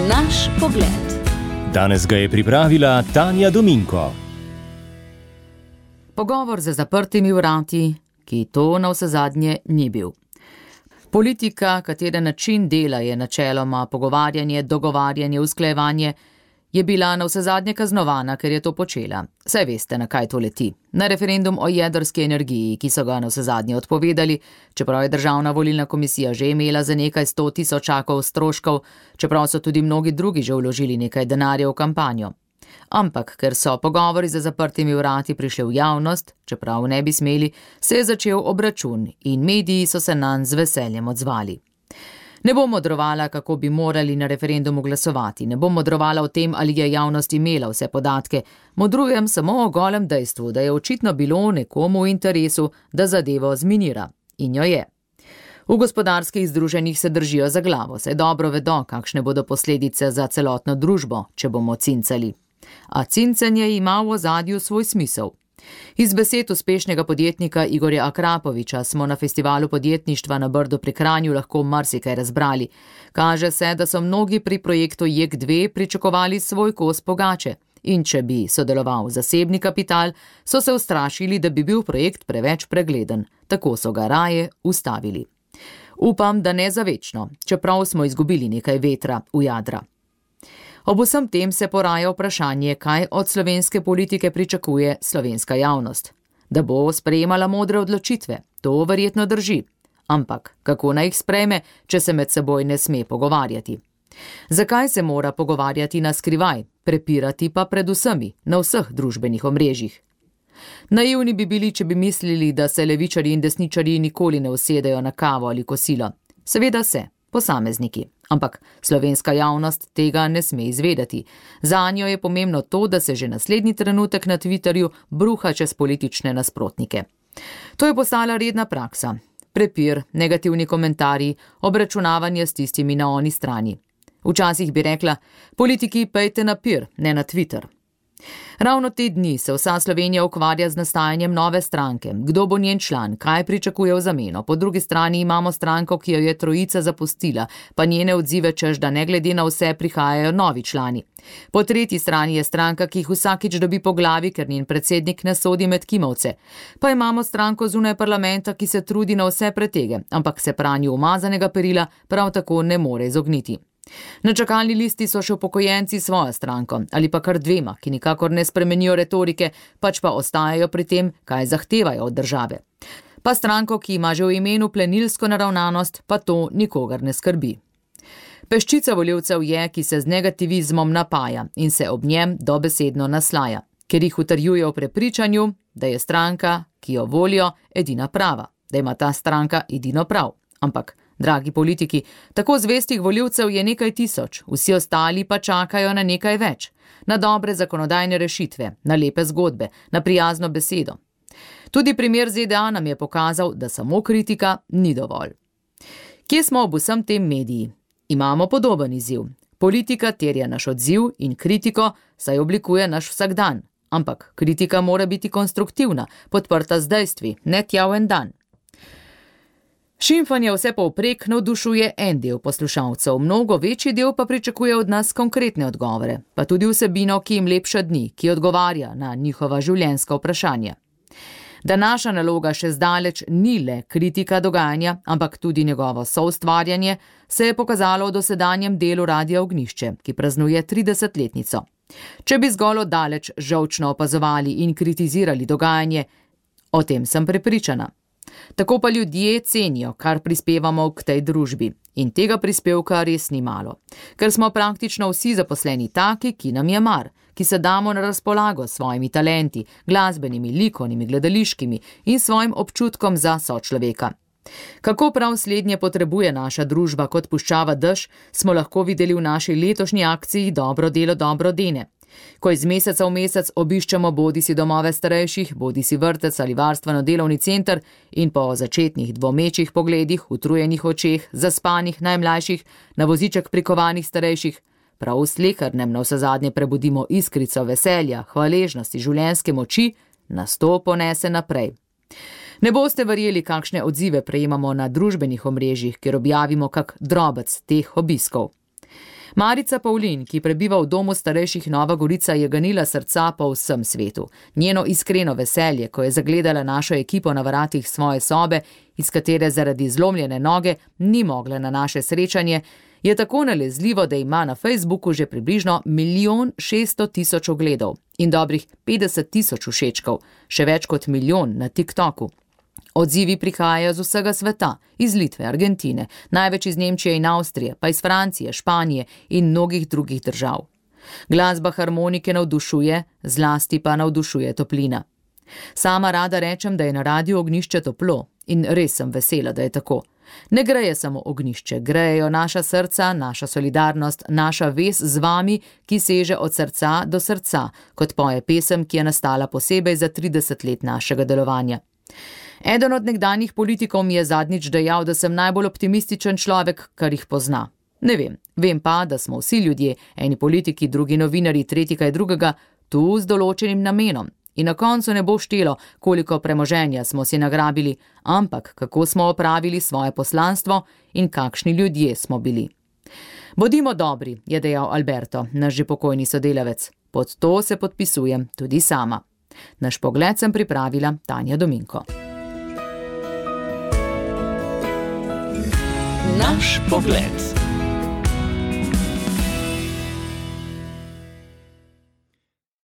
Naš pogled. Danes ga je pripravila Tanja Dominko. Pogovor za zaprtimi vrati, ki to navsezadnje ni bil. Politika, katere način dela je načeloma pogovarjanje, dogovarjanje, usklajevanje, je bila navsezadnje kaznovana, ker je to počela. Saj veste, na kaj to leti. Na referendum o jedrski energiji, ki so ga navsezadnje odpovedali, čeprav je Državna volilna komisija že imela za nekaj 100 tisočakov stroškov, čeprav so tudi mnogi drugi že vložili nekaj denarja v kampanjo. Ampak, ker so pogovori za zaprtimi vrati prišli v javnost, čeprav ne bi smeli, se je začel obračun in mediji so se nanj z veseljem odzvali. Ne bom modrovala, kako bi morali na referendumu glasovati, ne bom modrovala o tem, ali je javnost imela vse podatke, modrujem samo o golem dejstvu, da je očitno bilo nekomu v interesu, da zadevo zminira. In jo je. V gospodarskih združenjih se držijo za glavo, saj dobro vedo, kakšne bodo posledice za celotno družbo, če bomo cincali. A cincanje ima v ozadju svoj smisel. Iz besed uspešnega podjetnika Igorja Akrapoviča smo na festivalu podjetništva na Brdu pri Kranju lahko marsikaj razbrali. Kaže se, da so mnogi pri projektu JEK2 pričakovali svoj kos pogače. In če bi sodeloval zasebni kapital, so se ustrašili, da bi bil projekt preveč pregleden. Tako so ga raje ustavili. Upam, da ne za večno, čeprav smo izgubili nekaj vetra v jadra. Ob vsem tem se poraja vprašanje, kaj od slovenske politike pričakuje slovenska javnost. Da bo sprejemala modre odločitve, to verjetno drži. Ampak kako naj jih sprejme, če se med seboj ne sme pogovarjati? Zakaj se mora pogovarjati na skrivaj, prepirati pa pred vsemi, na vseh družbenih omrežjih? Naivni bi bili, če bi mislili, da se levičarji in desničarji nikoli ne usedejo na kavo ali kosilo. Seveda se, posamezniki. Ampak slovenska javnost tega ne sme izvedeti. Zanjo je pomembno to, da se že naslednji trenutek na Twitterju bruha čez politične nasprotnike. To je postala redna praksa. Prepir, negativni komentarji, obračunavanje s tistimi na oni strani. Včasih bi rekla, politiki pejte na pir, ne na Twitter. Ravno te dni se vsa Slovenija ukvarja z nastajanjem nove stranke. Kdo bo njen član, kaj pričakuje v zameno? Po drugi strani imamo stranko, ki jo je trojica zapustila, pa njene odzive češ, da ne glede na vse prihajajo novi člani. Po tretji strani je stranka, ki jih vsakič dobi po glavi, ker njen predsednik ne sodi med kimavce. Pa imamo stranko zunaj parlamenta, ki se trudi na vse pretege, ampak se pranju umazanega perila prav tako ne more izogniti. Na čakalni listi so še upokojenci s svojo stranko, ali pa kar dvema, ki nikakor ne spremenijo retorike, pač pa ostajajo pri tem, kaj zahtevajo od države. Pa stranko, ki ima že v imenu plenilsko naravnanost, pa to nikogar ne skrbi. Peščica volivcev je, ki se z negativizmom napaja in se ob njem dobesedno naslaja, ker jih utrjuje v prepričanju, da je stranka, ki jo volijo, edina prava, da ima ta stranka edino prav. Ampak dragi politiki, tako zvestih volivcev je nekaj tisoč, vsi ostali pa čakajo na nekaj več, na dobre zakonodajne rešitve, na lepe zgodbe, na prijazno besedo. Tudi primer ZDA nam je pokazal, da samo kritika ni dovolj. Kje smo ob vsem tem mediji? Imamo podoben izziv. Politika terja naš odziv in kritiko, saj oblikuje naš vsakdan. Ampak kritika mora biti konstruktivna, podprta z dejstvi, ne tja v en dan. Šimfanje vse povprek navdušuje en del poslušalcev, mnogo večji del pa pričakuje od nas konkretne odgovore, pa tudi vsebino, ki jim lepša dni, ki odgovarja na njihova življenjska vprašanja. Da naša naloga še zdaleč ni le kritika dogajanja, ampak tudi njegovo soustvarjanje, se je pokazalo v dosedanjem delu Radia Ognjišče, ki praznuje 30-letnico. Če bi zgolj daleč žolčno opazovali in kritizirali dogajanje, o tem sem prepričana. Tako pa ljudje cenijo, kar prispevamo k tej družbi. In tega prispevka res ni malo. Ker smo praktično vsi zaposleni taki, ki nam je mar, ki se damo na razpolago s svojimi talenti, glasbenimi, likovnimi, gledališkimi in svojim občutkom za sočloveka. Kako prav slednje potrebuje naša družba kot puščava dež, smo lahko videli v naši letošnji akciji Dobro delo dobro dene. Ko iz meseca v mesec obiščemo bodisi domove starejših, bodisi vrtec ali varstveno-delovni center in po začetnih dvomečih pogledih, utrujenih očeh, zaspanih najmlajših, na voziček prikovanih starejših, prav v slehernem navsezadnje prebudimo iskrico veselja, hvaležnosti, življenjske moči, nas to ponese naprej. Ne boste verjeli, kakšne odzive prejemamo na družbenih omrežjih, kjer objavimo kak drobec teh obiskov. Marica Pavlin, ki prebiva v domu starejših Nova Gorica, je ganila srca po vsem svetu. Njeno iskreno veselje, ko je zagledala našo ekipo na vratih svoje sobe, iz katere zaradi zlomljene noge ni mogla na naše srečanje, je tako nalezljivo, da ima na Facebooku že približno 1.600.000 ogledov in dobrih 50.000 všečkov, še več kot 1 milijon na TikToku. Odzivi prihajajo z vsega sveta, iz Litve, Argentine, največ iz Nemčije in Avstrije, pa iz Francije, Španije in mnogih drugih držav. Glasba harmonike navdušuje, zlasti pa navdušuje toplina. Sama rada rečem, da je na Radiu Ognjišče toplo in res sem vesela, da je tako. Ne greje samo ognjišče, grejejo naša srca, naša solidarnost, naša vez z vami, ki seže od srca do srca, kot poje pesem, ki je nastala posebej za 30 let našega delovanja. Eden od nekdanjih politikov mi je zadnjič dejal, da sem najbolj optimističen človek, kar jih pozna. Ne vem pa, da smo vsi ljudje, eni politiki, drugi novinarji, tretji kaj drugega, tu z določenim namenom. In na koncu ne bo štelo, koliko premoženja smo si nagrabili, ampak kako smo opravili svoje poslanstvo in kakšni ljudje smo bili. Bodimo dobri, je dejal Alberto, naš že pokojni sodelavec. Pod to se podpisujem tudi sama. Naš pogled sem pripravila Tanja Dominko. Naš pogled.